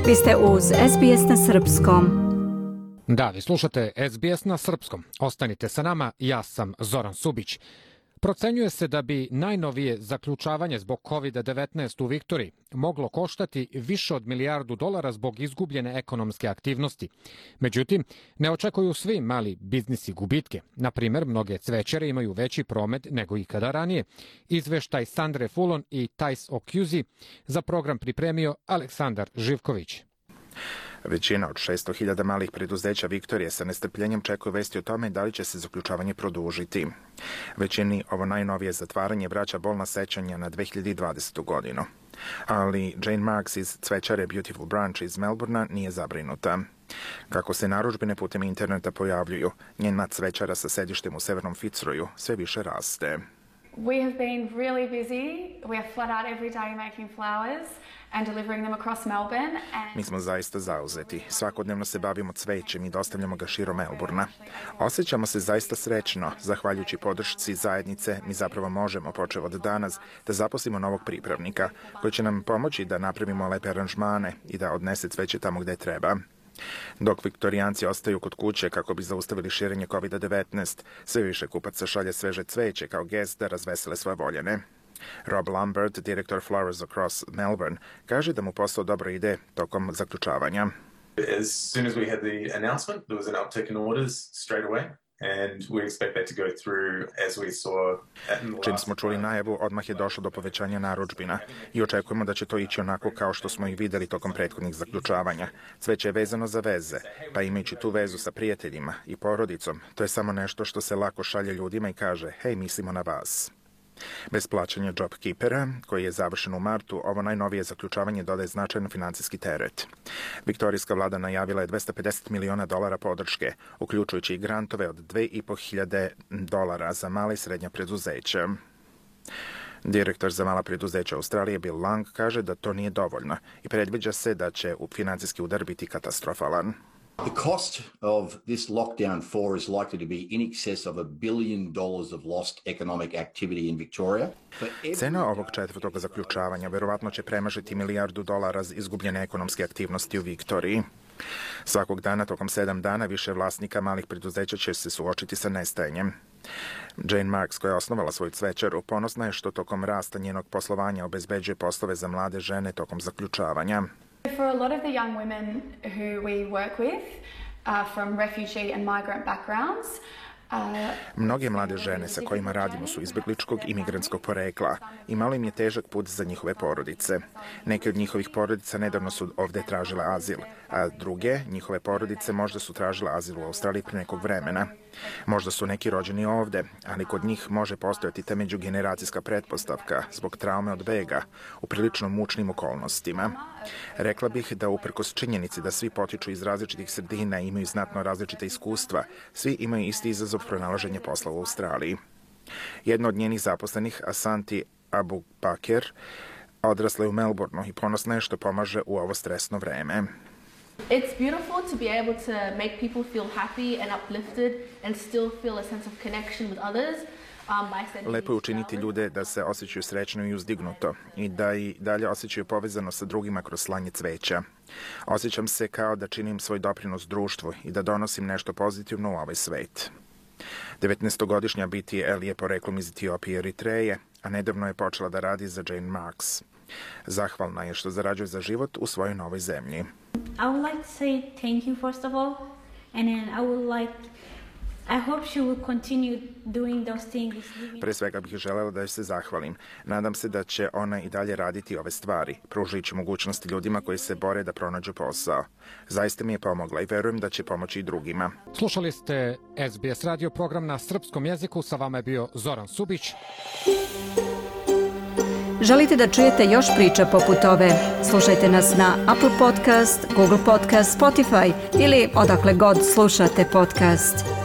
Vi ste uz SBS na Srpskom. Da, vi slušate SBS na Srpskom. Ostanite sa nama, ja sam Zoran Subić. Procenjuje se da bi najnovije zaključavanje zbog COVID-19 u Viktoriji moglo koštati više od $1 milijardu zbog izgubljene ekonomske aktivnosti. Međutim, ne očekuju svi mali biznisi gubitke. Na primjer, mnoge cvećare imaju veći promet nego ikada ranije. Izveštaj Sandre Fulon i Thais Okjuzi za program pripremio Aleksandar Živković. Većina od 600.000 malih preduzeća Viktorije sa nestrpljenjem čekaju vesti o tome da li će se zaključavanje produžiti. Većini ovo najnovije zatvaranje vraća bolna sećanja na 2020. godinu. Ali Jane Marks iz cvećare Beautiful Branch iz Melbournea nije zabrinuta. Kako se narudžbine putem interneta pojavljuju, njena cvećara sa sedištem u severnom Fitzroyu sve više raste. We have been really busy. We are flat out every day making flowers and delivering them across Melbourne. Mi smo zaista zauzeti. Svakodnevno se bavimo cvećem i dostavljamo ga širom Melbournea. Osjećamo se zaista srećno. Zahvaljujući podršci zajednice, mi zapravo možemo, počev od danas, da zaposlimo novog pripravnika, koji će nam pomoći da napravimo lepe aranžmane i da odnese cveće tamo gde treba. Dok Viktorijanci ostaju kod kuće kako bi zaustavili širenje COVID-19, sve više kupaca šalje sveže cveće kao gest da razvesele svoje voljene. Rob Lambert, direktor Flowers Across Melbourne, kaže da mu posao dobro ide tokom zaključavanja. As soon as we had the announcement, there was an uptick in orders straight away. And we expect that to go through as we saw. Čim smo čuli najavu, odmah je došlo do povećanja narudžbina i očekujemo da će to ići onako kao što smo i videli tokom prethodnih zaključavanja. Cveće je vezano za veze, pa imajući tu vezu sa prijateljima i porodicom, to je samo nešto što se lako šalje ljudima i kaže, hej, mislimo na vas. Bez plaćanja JobKeepera, koji je završen u martu, ovo najnovije zaključavanje dodaje značajan financijski teret. Viktorijska vlada najavila je $250 miliona podrške, uključujući i grantove od $2.500 za mala i srednja preduzeća. Direktor za mala preduzeća Australije Bill Lang kaže da to nije dovoljno i predviđa se da će financijski udar biti katastrofalan. The cost of this lockdown 4 is likely to be in excess of $1 billion of lost economic activity in Victoria. Cena ovog četvrtog zaključavanja verovatno će premašiti $1 milijardu izgubljene ekonomske aktivnosti u Viktoriji. Svakog dana tokom 7 dana više vlasnika malih preduzeća će se suočiti sa nestajanjem. Jane Marks, koja je osnovala svoju cvećaru, ponosna je što tokom rasta njenog poslovanja obezbeđuje poslove za mlade žene tokom zaključavanja. For a lot of the young women who we work with from refugee and migrant backgrounds, mnoge mlade žene sa kojima radimo su izbegličkog i migrantskog porekla i malo im je težak put za njihove porodice. Neke od njihovih porodica nedavno su ovde tražile azil, a druge, njihove porodice, možda su tražile azil u Australiji pre nekog vremena. Možda su neki rođeni ovde, ali kod njih može postojati ta međugeneracijska pretpostavka zbog traume od bega u prilično mučnim okolnostima. Rekla bih da uprkos činjenici da svi potiču iz različitih sredina i imaju znatno različite iskustva, svi imaju isti izazov pronalaženja posla u Australiji. Jedna od njenih zaposlenih, Asanti Abubakar, odrasla je u Melbourneu i ponosna je što pomaže u ovo stresno vreme. It's beautiful to be able to make people feel happy and uplifted and still feel a sense of connection with others. Lepo je učiniti ljude da se osjećaju srećno i uzdignuto i da i dalje osjećaju povezano sa drugima kroz slanje cveća. Osjećam se kao da činim svoj doprinos društvu i da donosim nešto pozitivno u ovaj svet. 19-godišnja Biti El je poreklom iz Etiopije i Eritreje, a nedavno je počela da radi za Jane Marks. Zahvalna je što zarađuje za život u svojoj novoj zemlji. I would like to say thank you first of all, and then I hope she will continue doing those things. Pre svega bih želela da joj se zahvalim. Nadam se da će ona i dalje raditi ove stvari, pružajući mogućnosti ljudima koji se bore da pronađu posao. Zaista mi je pomogla i verujem da će pomoći i drugima. Slušali ste SBS radio program na srpskom jeziku. Sa vama je bio Zoran Subić. Želite da čujete još priča poput ove? Slušajte nas na Apple Podcast, Google Podcast, Spotify ili odakle god slušate podcast.